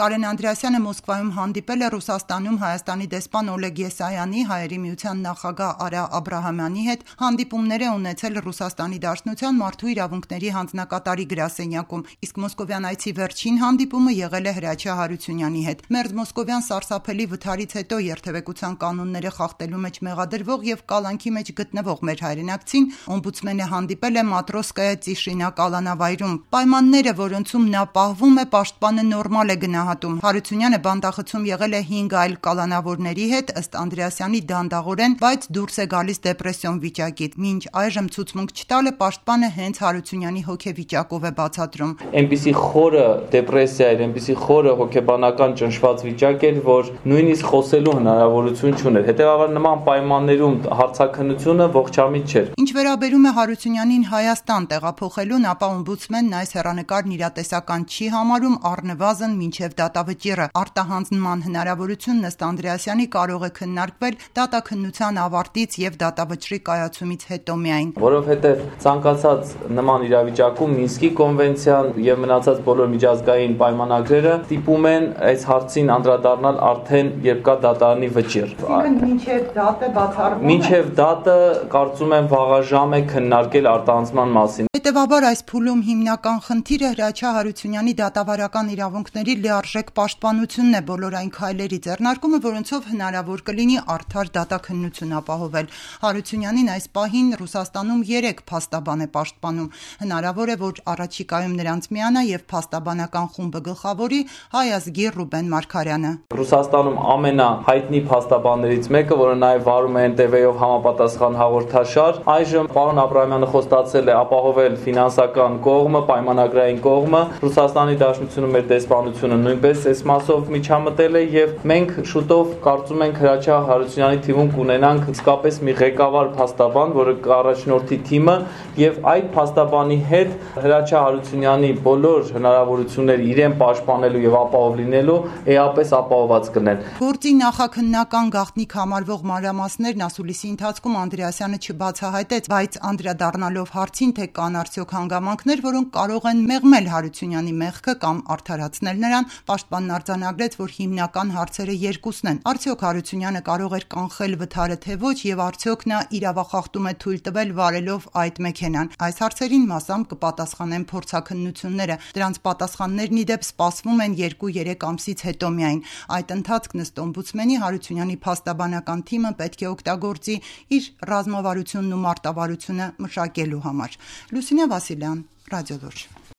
Կարեն Անդրեասյանը Մոսկվայում հանդիպել է Ռուսաստանում Հայաստանի դեսպան Օլեգ Եսայանի, Հայերի միության նախագահ Արա Աբրահամյանի հետ հանդիպումներ է ունեցել Ռուսաստանի Դաշնության մարդու իրավունքների հանձնակատարի գրասենյակում, իսկ մոսկովյան այցի վերջին հանդիպումը եղել է Հրաչյա Հարությունյանի հետ։ Մերձմոսկովյան սարսափելի վթարից հետո երթևեկության կանոնները խախտելու մեջ մեղադրվող եւ կալանքի մեջ գտնվող մեր հայրենակցին օմբուդսմենը հանդիպել է Մատրոսկայա Ծիշինա կալանավայրում։ Պայմանները, որոնցում նա պահվում է, պաշտպանը նորմալ է գնահատում։ Հարությունյանը բանտախցում եղել է 5 այլ կալանավորների հետ, ըստ Անդրեասյանի դանդաղորեն, բայց դուրս է գալիս դեպրեսիոն վիճակից։ Մինչ այժմ ցուցմունք չտալը պաշտպանը հենց Հարությունյանի հոգեվիճակով է բացատրում։ Այնպիսի խորը դեպրեսիա էր, այնպիսի խորը հոգեբանական ճնշված վիճակ էր, որ նույնիսկ խոսելու հնարավորություն չուներ։ Հետևաբար նման պայմաններում հարցաքննությունը ողջամիտ չէր։ Ինչ վերաբերում է Հարությունյանին Հայաստան տեղափոխելուն, ապա օմբուդսմենն այս հեռանկարն իրատեսական չի համարում, առնվազն մինչև դատավճիռը։ Արտահանձնման հնարավորությունն ըստ Անդրեասյանի կարող է քննարկվել դատաքննության ավարտից եւ դատավճռի կայացումից հետո միայն։ Որովհետեւ ցանկացած նման իրավիճակում Մինսկի կոնվենցիան եւ մնացած բոլոր միջազգային պայմանագրերը ստիպում են այս հարցին անդրադառնալ արդեն երբ կա դատարանի վճիռ։ Մինչև դատը բացառվում է։ Մինչև դատը կարծում եմ վաղաժամ է քննարկել արտահանձնման մասին։ Հետևաբար այս փուլում հիմնական խնդիրը Հրաչյա Հարությունյանի դատավարական իրավունքների լիարժեք պաշտպանությունն է, բոլոր այն քայլերի ձեռնարկումը, որոնցով հնարավոր կլինի արդար դատաքննություն ապահովել։ Հարությունյանին այս պահին Ռուսաստանում 3 փաստաբան է պաշտպանում։ Հնարավոր է, որ առաջիկայում նրանց միանա եւ փաստաբանական խումբը գլխավորի հայ ազգի Ռուբեն Մարգարյանը։ Ռուսաստանում ամենահայտնի փաստաբաններից մեկը, որը նաեւ վարում է NTV-ով համապատասխան հաղորդաշար, այժմ պարոն Աբրահամյանը խոստացել է ապահովել ֆինանսական կողմը, պայմանագրային կողմը։ Ռուսաստանի Դաշնությունը մեր դեսպանությունը նույնպես այս մասով միջամտել է եւ մենք շուտով կարծում ենք Հրաչյա Հարությունյանի թիմում կունենանք իսկապես մի ղեկավար փաստաբան, որը կառաջնորդի թիմը եւ այդ փաստաբանի հետ Հրաչյա Հարությունյանի բոլոր հնարավորությունները իրեն պաշտպանելու եւ ապահով լինելու էապես ապահովված կլինեն։ Գործի նախաքննական գաղտնիք համարվող մանրամասներն ասուլիսի ընթացքում Անդրեասյանը չբացահայտեց, բայց անդրադառնալով հարցին, թե կան արդյոք հանգամանքներ, որոնք կարող են մեղմել Հարությունյանի մեղքը կամ արդարացնել նրան, պաշտպանն արձանագրեց, որ հիմնական հարցերը երկուսն են. արդյոք Հարությունյանը կարող էր կանխել վթարը թե ոչ եւ արդյոք նա իրավախախտում է թույլ տվել վարելով այդ մեքենան։ Այս հարցերին մասամբ կպատասխանեն փորձաքննությունները։ Դրանց պատասխաններն ի դեպ սպասվում են 2-3 ամսից հետո միայն։ Այդ ընթացքն ըստ օմբուդսմենի Հարությունյանի փաստաբանական թիմը պետք է օգտագործի իր ռազմավարությունն ու մարտավարությունը մշակելու համար։ Լուսինե Վասիլյան, Ռադիո Լուր։